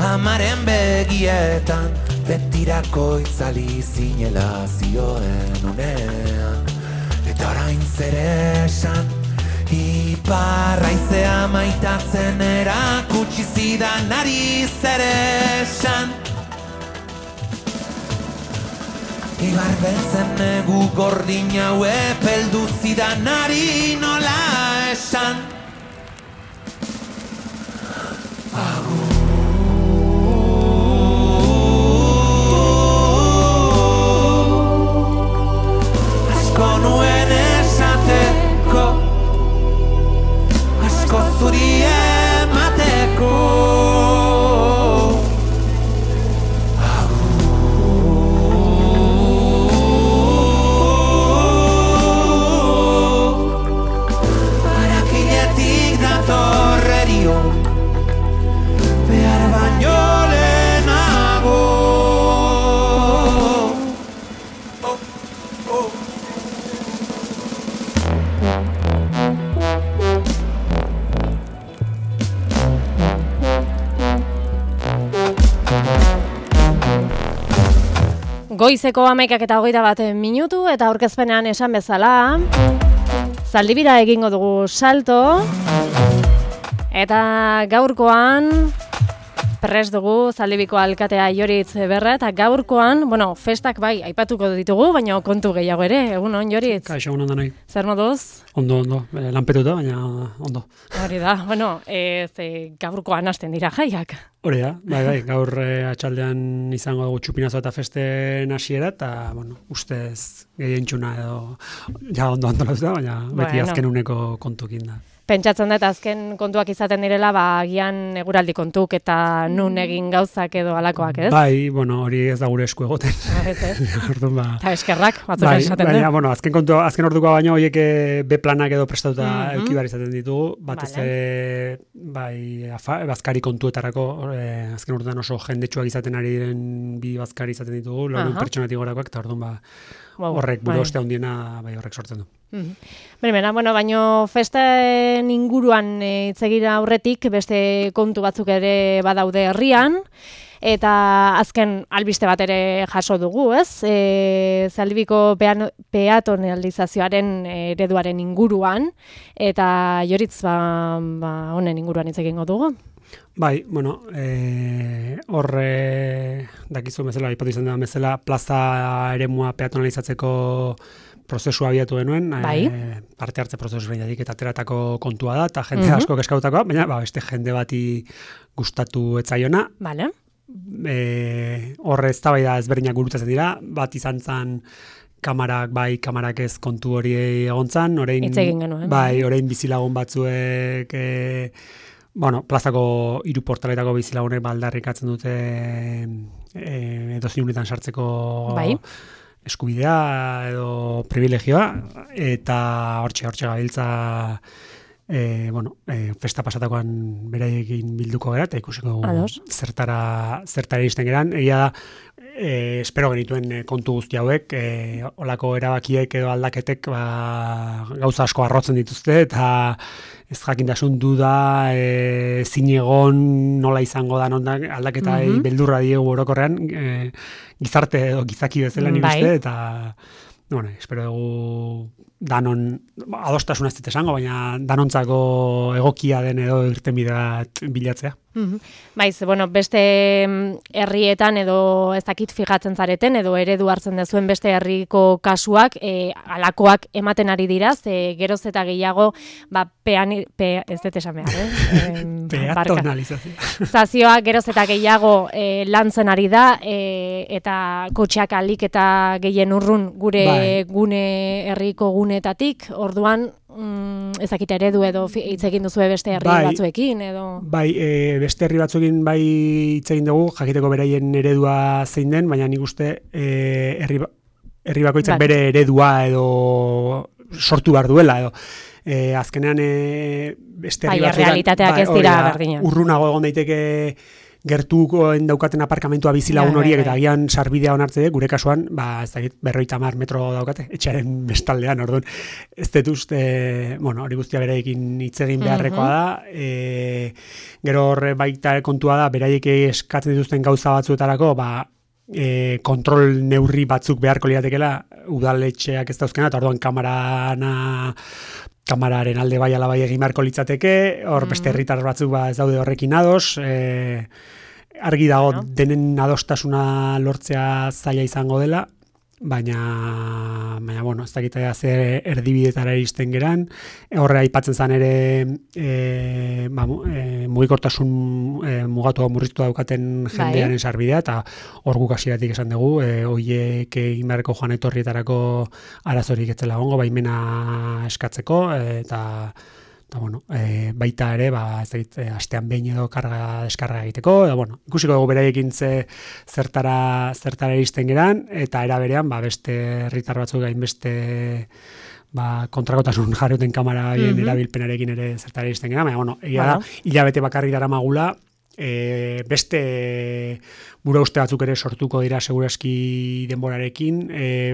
amaren begietan, betirako itzali zinela zioen unean. Eta orain zer esan, iparra izea maitatzen erakutsi zidanari zer esan. Ibar beltzen negu gordin hau epeldu zidanari nola esan. Asko nuen esateko, asko zuri emateko. Harakiletik datorrerio, behar baino lehenago. Goizeko 11:21 minutu eta aurkezpenean esan bezala, zaldibira egingo dugu salto eta gaurkoan prest dugu Zaldibiko alkatea Joritz Berra eta gaurkoan, festak bai aipatuko ditugu, baina kontu gehiago ere. Egun on, Joritz? Kaixo, egun ondo nahi. Zer moduz? Ondo, lanpetuta, baina ondo. Hori da, gaurkoan hasten dira jaiak. Hori da, bai, gaur atxaldean izango dugu txupinazo eta festen hasiera eta, ustez gehientxuna edo ja ondo antolatuta, baina beti azken uneko kontukin da. Pentsatzen dut azken kontuak izaten direla, agian eguraldi kontuk eta nun egin gauzak edo alakoak, ez? Bai, hori ez da gure esku egoten. Ez. Eta eskerrak, batzuk esaten dut. Baina, azken ordukoa baino, horiek B-planak edo prestatuta eduki behar izaten ditugu, batez ere, bazkari kontuetarako, azken orduan oso jendetsuak izaten ari diren bi bazkari izaten ditugu, laurehun pertsonatik gorakoak, eta orduan horrek buru ostea hundiena horrek sortzen du. Baina festen inguruan itzegira aurretik beste kontu batzuk ere badaude herrian, eta azken albiste bat ere jaso dugu, ez? Zaldibiko peatonalizazioaren ereduaren inguruan, eta Joritz honen inguruan hitz egingo dugu. Bai, horre dakizu bezala, aipatu izan da bezala, plaza eremua peatonalizatzeko prozesua abiatu genuen, parte hartze prozesu behinetik eta ateratako kontua da, eta jende asko keskautakoa, baina beste jende bati gustatu etzaiona. Vale. Horre eztabaida ezberdinak gurutzatzen dira, bat izan zen kamarak ez kontu hori egontzan, orain bizilagun batzuek plazako 3 portaletako bizilagunek aldarrikatzen dute edozein unetan sartzeko eskubidea edo privilegioa, eta hortxe gabiltza festa pasatakoan beraiekin bilduko gara, eta ikusiko zertara iristen geran. Egia da, espero genituen kontu guzti hauek, olako erabakiek edo aldaketek gauza asko arrotzen dituzte, eta ez jakintasun duda, zinegon nola izango da aldaketa beldurra diegu orokorrean, gizarte edo gizaki bezala nik uste, eta espero dugu danon, adostasuna ez dut esango, baina danontzako egokia den edo irtenbidea bilatzea. Baiz, beste herrietan edo ez dakit fijatzen zareten edo eredu hartzen dezuen beste herriko kasuak alakoak ematen ari dira, geroz eta gehiago ez dut esan behar, peatonalizazioa geroz eta gehiago lantzen ari da, eta kotxeak alik eta gehien urrun gure herriko gunetatik, orduan ezakit eredu edo hitz egin duzu beste herri batzuekin edo... Beste herri batzuekin hitz egin dugu, jakiteko beraien eredua zein den, baina nik uste herri bakoitzak bere eredua edo sortu behar duela edo azkenean beste herri batzuetan realitateak ez dira berdina. Urrunago egon daiteke gertukoen daukaten aparkamentua bizilagun horiek eta agian sarbidea onartze gure kasuan, ez dakit 50 metro daukate, etxearen bestaldean, orduan, ez dut uste, hori guztia beraiekin hitz egin beharrekoa da, gero horre baita kontua da, beraiek eskatzen dituzten gauza batzuetarako, kontrol neurri batzuk beharko liatekela, udaletxeak ez dauzkena, eta orduan kamararen alde bai ala bai egin beharko litzateke, hor beste herritar batzuk ez daude horrekin ados, argi dago denen adostasuna lortzea zaila izango dela, baina ez dakitea zer erdibidetara iristen geran, horre aipatzen zen ere mugikortasun mugatu murriztu daukaten jendearen sarbidea, eta hor guk hasieratik esan dugu, horiek egin beharreko joan etorrietarako arazorik etzela gongo, baimena eskatzeko, eta baita ere, astean behin edo deskarga egiteko, ikusiko dugu beraiekin zertara iristen geran, eta era berean, beste herritar batzuk hainbeste kontrakotasun jarruten kamara erabilpenarekin ere zertara iristen geran, baina, egia da, hilabete bakarri daramagula, beste bura uste batzuk ere sortuko dira segurazki denborarekin,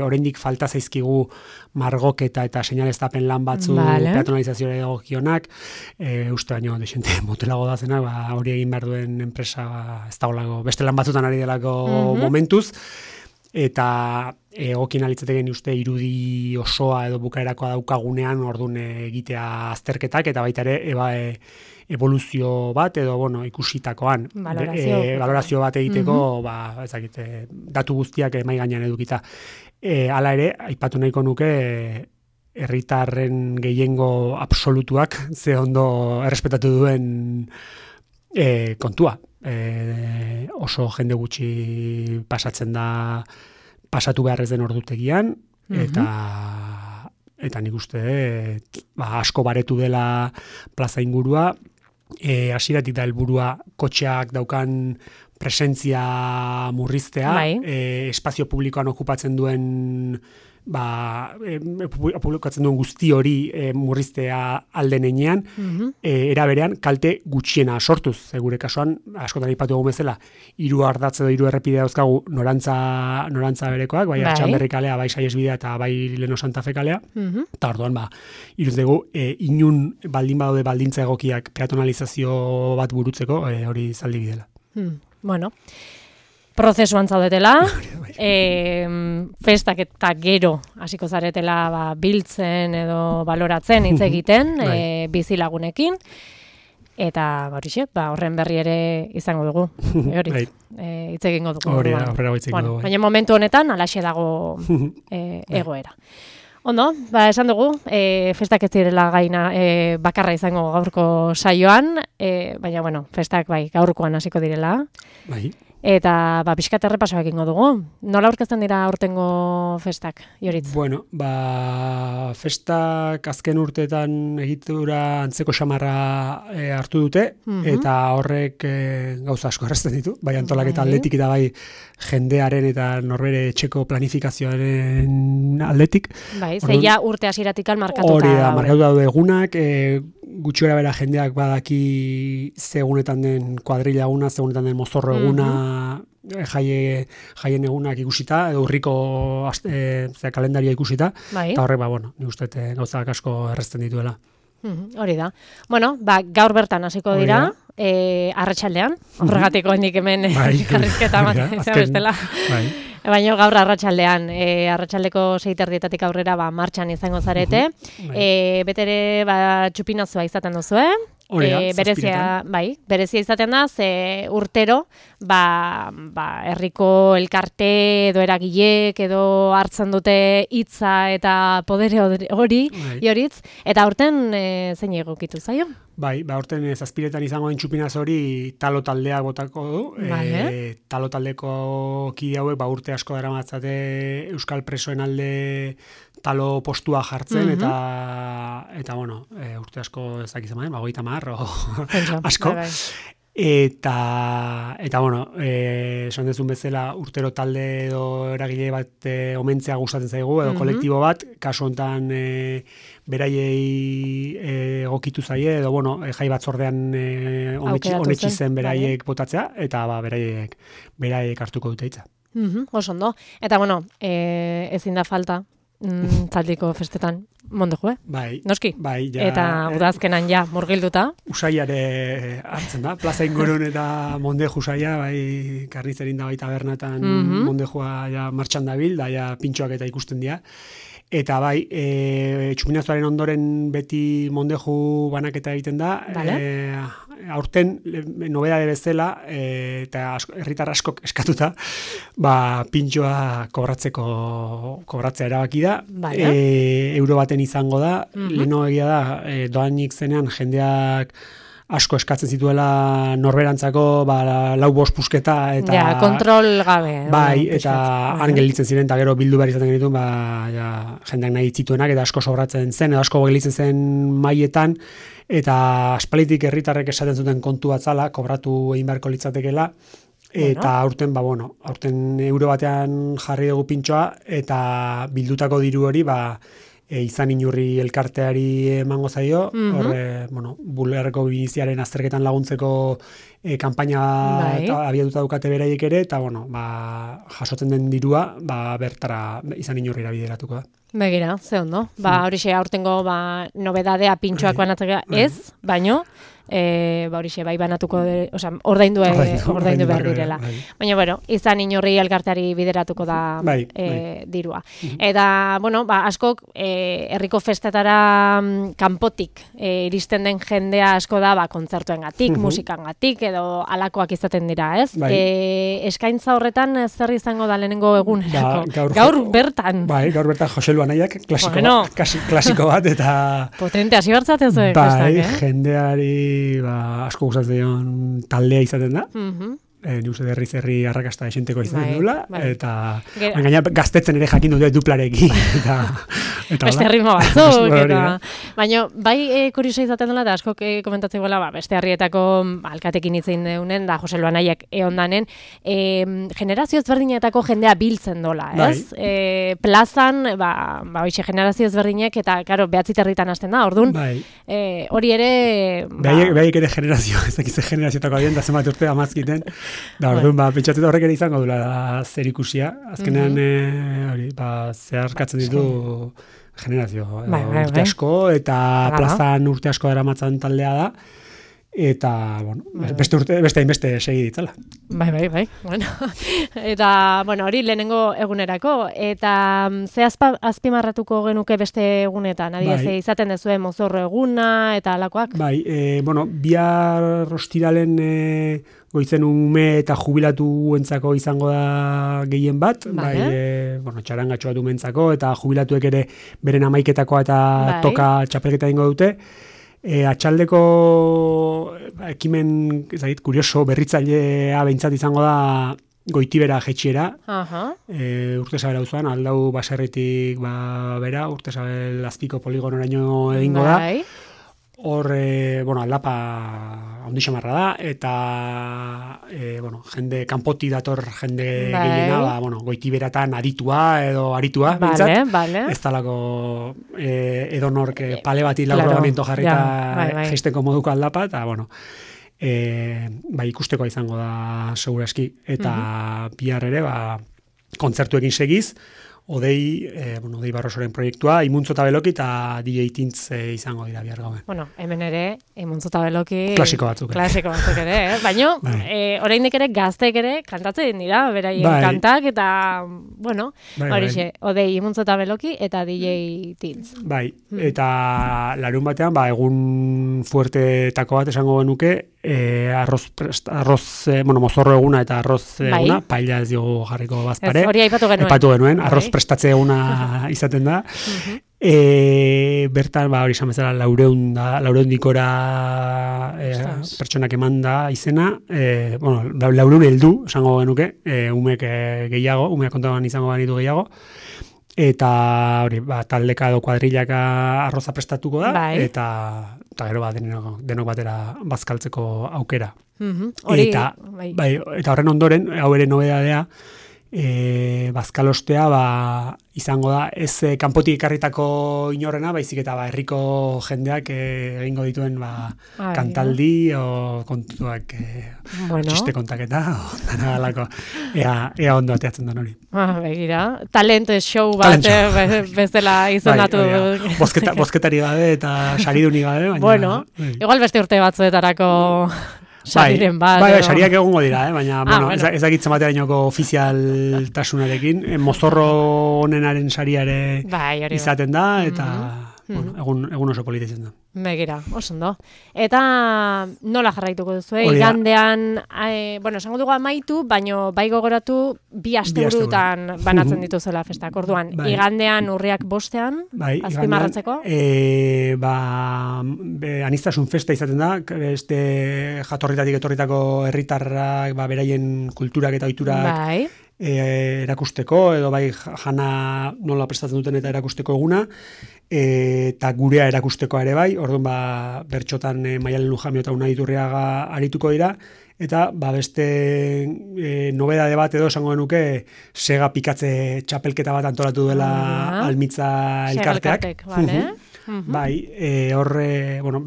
oraindik falta zaizkigu margoketa eta seinaleztapen lan batzu peatonalizazioa egokionak, uste baino desente motelago da zenak, hori egin behar duen enpresa ez dagoelako, beste lan batzutan ari delako momentuz, eta egokien alitzateken uste irudi osoa edo bukaerakoa daukagunean orduan egitea azterketak, eta baita ere evoluzio bat edo ikusitakoan valorazio bat egiteko datu guztiak mai gainean edukita. Hala ere, aipatu nahiko nuke herritarren gehiengo absolutuak ze ondo errespetatu duen kontua. Oso jende gutxi pasatu behar ez den ordutegian, eta nik uste asko baretu dela plaza ingurua, hasieratik da helburua kotxeak daukan presentzia murriztea, espazio publikoan okupatzen duen publikatzen duen guzti hori murriztea alden enean, era berean kalte gutxiena sortuz, gure kasuan, askotan aipatu dugu bezala, 3 ardatz edo 3 errepide dauzkagu norantza berekoak, bai Artxanberri kalea, bai Saihesbidea eta bai Leno Santa Fe kalea, eta orduan, iruz dugu, inun baldin badaude baldintza egokiak peatonalizazio bat burutzeko, hori zaldi bidela. Bueno, prozesuan zaudetela, festak eta gero hasiko zaretela biltzen edo baloratzen hitz egiten bizilagunekin, eta horren berri ere izango dugu, hitz egingo dugu. Baina momentu honetan alaxe dago egoera. Ondo, esan dugu, festak ez direla gaina bakarra izango gaurko saioan, baina, festak gaurkoan hasiko direla. Eta pixkat errepasoak egingo dugu. Nola aurkezten dira aurtengo festak, Joritz? Bueno, festak azken urteetan egitura antzeko xamarra hartu dute, eta horrek gauza asko errazten ditu, bai antolaketa aldetik eta bai jendearen eta norbere etxeko planifikazioaren aldetik. Zeia urte hasieratik markatuta. Hori da, markatuta daude egunak, gutxora bera jendeak badaki zegunetan den kuadrilla eguna, zegunetan den mozorro eguna, jaien egunak ikusita, edo urriko kalendaria ikusita, eta horrek, nik uste gauzak asko errezten dituela. Hori da. Bueno, gaur bertan hasiko dira, arratsaldean, horregatiko hendik hemen karrizketa bestela. Baina gaur arratsaldean, arratsaldeko 6:30 aurrera martxan izango zarete. Betere txupinazua izaten duzu, berezia izaten da, ze urtero, herriko elkarte edo eragilek edo hartzen dute hitza eta podere hori, Joritz, eta aurten zein egokitu zaio? Aurten zazpiretan izango den txupinaz hori talo taldea botako du. Talo taldeko kide hauek urte asko daramatzate euskal presoen alde talo postua jartzen, eta urte asko ezak izan, 30 asko. Eta bueno, esan dezun bezala urtero talde edo eragile bat omentzea gustatzen zaigu, edo kolektibo bat, kasu hontan beraiei egokitu zaie, edo bueno, jai batzordean onetsi zen beraiek botatzea, eta beraiek hartuko dute hitza. Oso ondo. Eta bueno, ezin da falta Zaldiko festetan mondejue. Bai. Noski. Bai, ja. Eta udazkenan ja murgilduta. Usaiare hartzen da. Plaza ingurun eta mondeju usaia, bai, karnizerin da bai tabernatan mondejua ja martxan dabil, da ja pintxoak eta ikusten dira. Eta bai, txupinazoaren ondoren beti mondeju banaketa egiten da. Vale. Aurten, nobedade bezala, eta herritar askok eskatuta, pintxoa kobratzea erabaki da. Vale. Euro baten izango da. Leno egia da, doainik zenean jendeak asko eskatzen zituela norberantzako, 4-5 pusketa eta ja, kontrol gabe. Bai, eta han gelditzen ziren eta gero bildu behar izaten genituen, jendeak nahi zituenak eta asko sobratzen zen, edo asko gelditzen zen mailetan, eta aspalitik herritarrek esaten zuten kontu bat zala, kobratu egin beharko litzatekeela, eta aurten, aurten euro batean jarri dugu pintxoa, eta bildutako diru hori, izan inurri elkarteari emango zaio, horre, bulerreko biziaren azterketan laguntzeko kanpaina abiatuta dukate beraiek ere, eta jasotzen den dirua, bertara izan inurrira bideratuko da. Begira, ze ondo. Horixe aurtengo nobedadea pintxoak banatzea ez, baino, horixe bai banatuko, ordaindu behar direla. Baina, izan inorri elkarteari bideratuko da dirua. Eta, askok herriko festetara kanpotik iristen den jendea asko da kontzertuengatik, musikangatik, edo alakoak izaten dira, ez? Eskaintza horretan zer izango da lehenengo egunerako? Gaur bertan. Gaur bertan Jose Luanaiak, klasiko bat, eta potente, hasi bertzaten zuen. Jendeari asko gustatzen dion taldea izaten da. Ni uste herri arrakasta esenteko izaten dula, eta gaina gaztetzen ere jakin dute duplarekin. Beste ritmo batzuk. Baina, kuriosa izaten dela, eta askok komentatzen gola, beste herrietako alkatekin hitzein deunen, da Jose Luanaiak eondanen, generazio ezberdinetako jendea biltzen dola, ez? Plazan, hoxe generazio ezberdinek, eta, karo, 9 herritan hasten da, orduan, hori ere... Behaik ere generazio, ez dakize generazioetako adien, da zenbat urte amazkiten, da, orduan, pentsatzen horrek ere izango dula zer ikusia. Azkenean, zeharkatzen ditu generazio. Urte asko, eta plazan urte asko eramatzen taldea da. Eta, beste hainbeste segi ditzala. Bai. Eta, hori lehenengo egunerako. Eta, ze azpimarratuko genuke beste egunetan? Adibidez, izaten dezue mozorro eguna, eta alakoak? Bihar ostiralen goizen ume eta jubilatuentzako izango da gehien bat. Txarangatxo bat umentzako, eta jubilatuek ere beren amaiketakoa eta toka txapelketa ingo dute. Atxaldeko ekimen, kurioso, berritzailea behintzat izango da Goitibera jetxiera. Urtezabel auzoan, aldau baserritik bera, Urtezabel azpiko poligonoraino egingo da. Hor, aldapa ondi xamarra da, eta jende, kanpoti dator jende gehiena, Goitiberatan aditua edo aritua, bintzat. Ez talako edonork pale bati laurogamiento jarrita geisteko moduko aldapa, eta, ikusteko izango da seguraski. Eta bihar ere, kontzertuekin segiz, Odei Barrosoren proiektua, Imuntzo eta Beloki eta DJ Tintz izango dira bihar gauen. Hemen ere, Imuntzo eta Beloki... Klasiko batzuk ere, baina, oraindik ere gaztek ere kantatzen dira, beraien kantak, eta, horixe, Odei Imuntzo eta Beloki eta DJ Tintz. Eta larun batean, egun fuertetako bat esango genuke, mozorro eguna eta arroz eguna, paella ez diogu jarriko bazpare. Hori aipatu genuen. Arroz prestatze eguna izaten da. Bertan, hori esan bezala, laureundikora pertsonak eman da izena. Laureun heldu, esango genuke, umeak gehiago, umeak kontagoan izango banitu gehiago. eta hori, taldeka edo kuadrilaka arroza prestatuko da, bai. eta gero denok batera bazkaltzeko aukera. Hori, eta horren ondoren, hau ere nobedadea, bazkalostea izango da ez kanpotik ekarritako inorrena, baizik eta herriko jendeak egingo dituen kantaldi o kontuak txiste kontaketa o dana dalako ea ondo ateatzen den hori. Begira, talent show bat bezala izendatu. Bozketari gabe eta sariduni gabe, baina... Bueno, igual beste urte batzuetarako... Sariren bat. Sariak egongo dira, baina ez dakitzen baterainoko ofizialtasunarekin, mozorro honenaren sariare izaten da, eta egun oso politetzen da. Begira, oso ondo. Eta nola jarraituko duzu, igandean, esango dugu amaitu, baino bai gogoratu bi asteburutan banatzen dituzela festak. Orduan, igandean urriak 5ean, azpimarratzeko? Aniztasun festa izaten da, beste jatorritatik etorritako herritarrak, beraien kulturak eta ohiturak erakusteko, edo jana nola prestatzen duten eta erakusteko eguna, eta gurea erakusteko ere bai, orduan bertxotan Maialen Lujamio eta Unai Iturriaga arituko dira, eta beste nobedade bat edo esango genuke sega pikatze txapelketa bat antolatu duela Almitza elkarteak.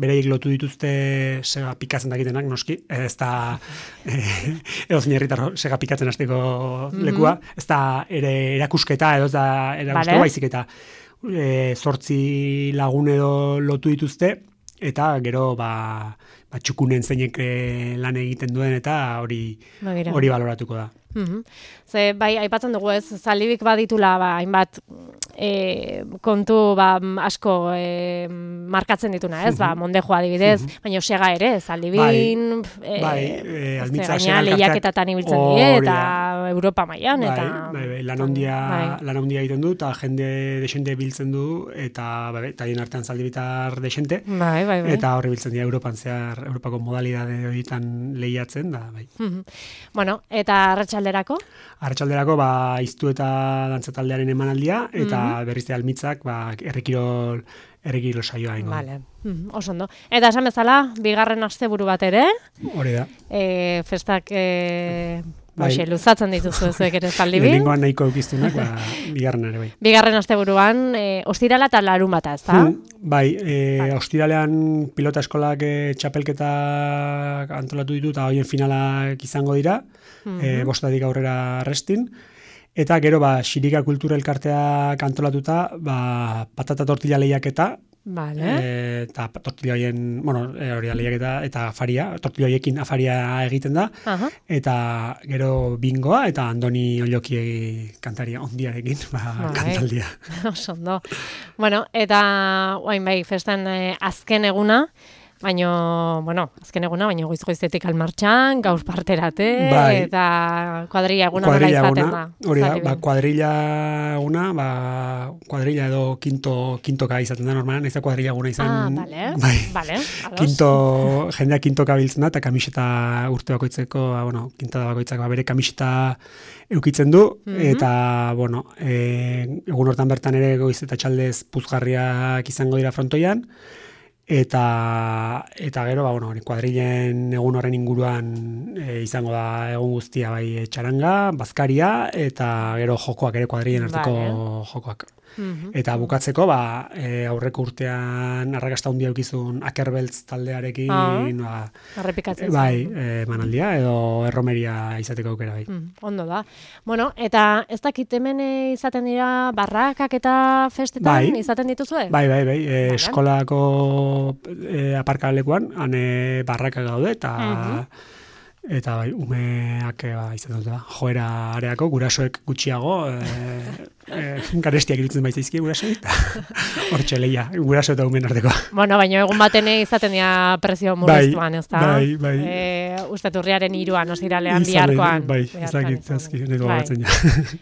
Bereiek lotu dituzte sega pikatzen dakitenak, noski, ez da edozein herritar sega pikatzen hasteko lekua, ez da erakusketa edo ez da erakusteko baizik eta 8 lagun edo lotu dituzte, eta gero txukunen zeinek lan egiten duen eta hori baloratuko da. Ze, aipatzen dugu ez, Zaldibik baditula, hainbat kontu asko markatzen dituna, ez? Mondejoa adibidez, baina sega ere, Zaldibin, gaina lehiaketatan ibiltzen die, eta Europa mailan, eta... Lan handia egiten du, eta jende desente biltzen du, eta haien artean Zaldibitar desente, eta horri biltzen dira Europan zehar, Europako modalidade horietan lehiatzen, da, bai. Bueno, eta arratsalderako? Arratsalderako, iztu eta dantza taldearen emanaldia, eta berriz Almitzak, herrikirol saioa ingo. Vale. Oso ondo. Eta esan bezala, bigarren asteburu bat ere? Hori da. Festak... luzatzen dituzu zuek ere Zaldibin. Lehenengoan nahiko eukiztunak, bigarren ere bai. Bigarren asteburuan, ostirala eta larunbata, ez da? Ostiralean pilota eskolak txapelketak antolatu ditu, eta horien finalak izango dira, 5 aurrera restin. Eta gero, Xirika Kultura Elkarteak antolatuta, patata tortilla lehiaketa, eta tortilla horien, hori da lehiaketa, eta afaria, tortilla horiekin afaria egiten da, eta gero bingoa, eta Andoni Olloki kantaria ondiarekin, kantaldia. Oso ondo. Bueno, eta festan azken eguna, baina goiz-goizetik almartxan, gaur parterate, eta kuadrilla eguna nola izaten da. Hori da, kuadrilla eguna, kuadrilla edo kintoka izaten da normalan, ez da kuadrilla eguna izan. Bale, jendeak kintoka biltzen da, eta kamiseta urte bakoitzeko, kintada bakoitzak bere kamiseta eukitzen du, eta, egun hortan bertan ere goiz eta txaldez puzgarriak izango dira frontoian, eta gero, kuadrilen egun horren inguruan izango da egun guztia txaranga, bazkaria, eta gero jokoak ere kuadrilen arteko jokoak. Eta bukatzeko, aurreko urtean arrakasta handia eukizun Akerbeltz taldearekin, errepikatzen manaldia edo erromeria izateko aukera bai. Ondo da. Bueno, eta ez dakit hemen izaten dira barrakak eta festetan izaten dituzue? Bai. Eskolako aparkalekuan, han barrakak gaude, eta umeak izaten dute joera areako, gurasoek gutxiago, garestiak irutzen baitzaizki gurasoek, hortxe lehia, guraso eta umen arteko. Bueno, baina egun baten izaten dira prezio murriztuan, ez da? Bai. Usteturriaren 3an, ostiralean, biharkoan. Bai, ezagitzeazki, nego batzen ja.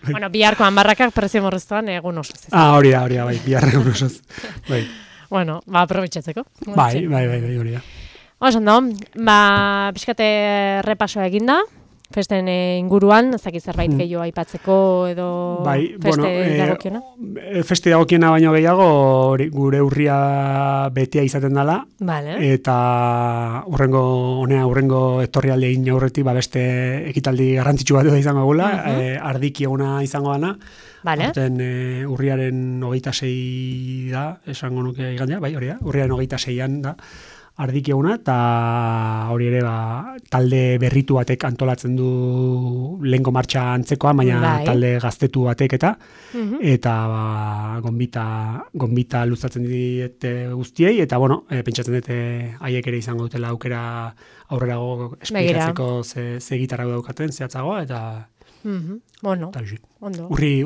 Bueno, biharkoan barrakak prezio murriztuan egun osoz. Hori da, bai, biharra egun osoz. Bai. Bueno, aprobetxatzeko. Bai, hori da. Oso ondo, pixkate repasoa eginda, festen inguruan, ez dakit zerbait gehiago aipatzeko edo feste dagokiona? Feste dagokiena baino gehiago gure urria betea izaten dela, eta urrengo etorrialde egin aurretik beste ekitaldi garrantzitsu bat izango gula, ardiki eguna izango dana, Horten urriaren 26 da, esango nuke igandea, urriaren 26an da, ardiki eguna, eta hori ere talde berritu batek antolatzen du lehenko martxa antzekoa, baina talde gaztetu batek eta gonbita luzatzen diete guztiei, eta pentsatzen dute haiek ere izango dutela aukera aurrerago esplikatzeko ze gitarra daukaten, zehatzagoa, eta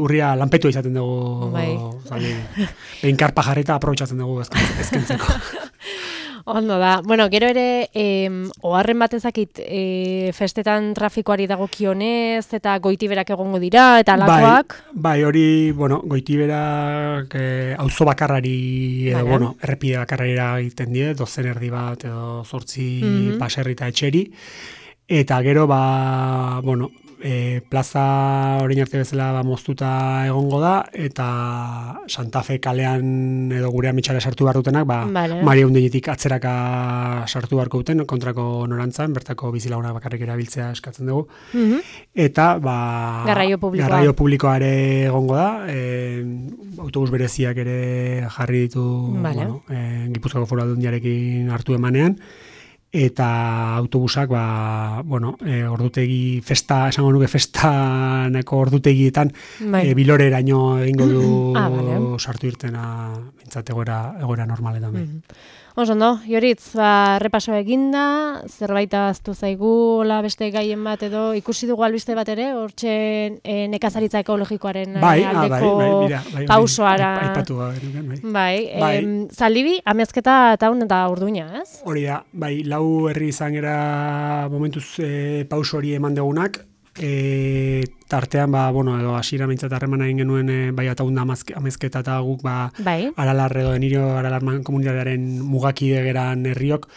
urria lanpetua izaten dugu, behin karpa jarreta aprobetxatzen dugu ezkentzeko. Ondo da. Gero ere, oharren bat ezakit, festetan trafikoari dagokionez, eta goitiberak egongo dira, eta alakoak? Bai, hori, goitiberak auzo bakarrari, errepide bakarrari egiten die, 12 erdi bat, edo 8 baserri eta etxeri, eta gero, plaza orain arte bezala moztuta egongo da, eta Santa Fe kalean edo gure ametxara sartu behar dutenak, Maria Undenetik atzeraka sartu beharko duten, kontrako norantzan, bertako bizilaguna bakarrik erabiltzea eskatzen dugu. Eta, garraio publikoa ere egongo da, autobus bereziak ere jarri ditu Gipuzkoako Foru Aldundiarekin hartu emanean, eta autobusak, ordutegi festa, esango nuke festaneko ordutegietan biloreraino egingo du sartu irtena bintzat egoera normaletan. Ondo, Joritz, repaso eginda, zerbait aztu zaigu, beste gaien bat edo, ikusi dugu albiste bat ere, hortxe nekazaritza ekologikoaren aldeko pausoara. Zaldibi, Amezketa eta Urduña, ez? Hori da, 4 herri izan gara momentuz pauso hori eman dugunak, tartean, edo hasiera mintzat harremana egin genuen bai Ataunda Amezketa eta guk Aralar edo Enirio Aralar komunitatearen mugakide geran herriok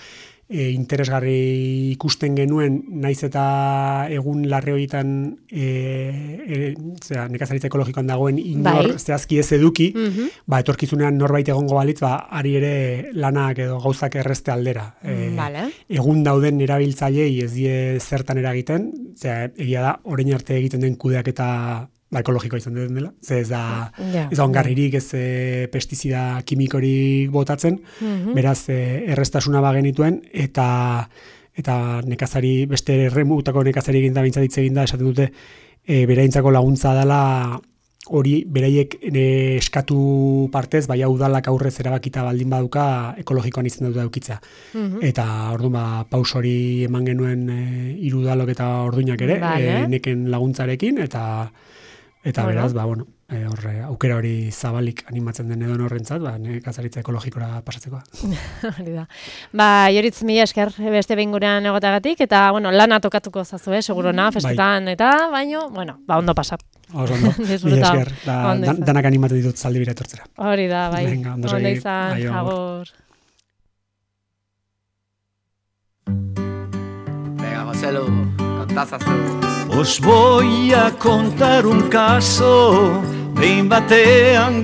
interesgarri ikusten genuen, naiz eta egun larre horietan nekazaritza ekologikoan dagoen inor zehazki ez eduki, etorkizunean norbait egongo balitz, ari ere lanak edo gauzak errezte aldera. Egun dauden erabiltzailei ez die zertan eragiten, egia da, orain arte egiten den kudeaketa ekologikoa izan den dela, ez da ongarririk, ez pestizida kimikorik botatzen, beraz erreztasuna bagenituen, eta nekazari, beste erremutako nekazari egin da, bintzatitze egin da, esaten dute, bereintzako laguntza dela hori beraiek eskatu partez, udalak aurrez erabakita baldin baduka ekologikoan izan dut daukitza. Eta orduan paus hori eman genuen 3 udalok eta Orduñak ere, neken laguntzarekin, eta beraz, aukera hori zabalik animatzen den edo horrentzat, nekazaritza ekologikora pasatzekoa. Hori da. Joritz, mila esker beste behin gurean egotagatik, eta lana tokatuko zazu, segurona, festetan, eta baino, ondo pasa. Ondo, mila esker, danak animatu ditut Zaldibira etortzera. Hori da, ondo izan, agur. Venga, Joselu, kontazazu. Os voy a contar un caso, behin batean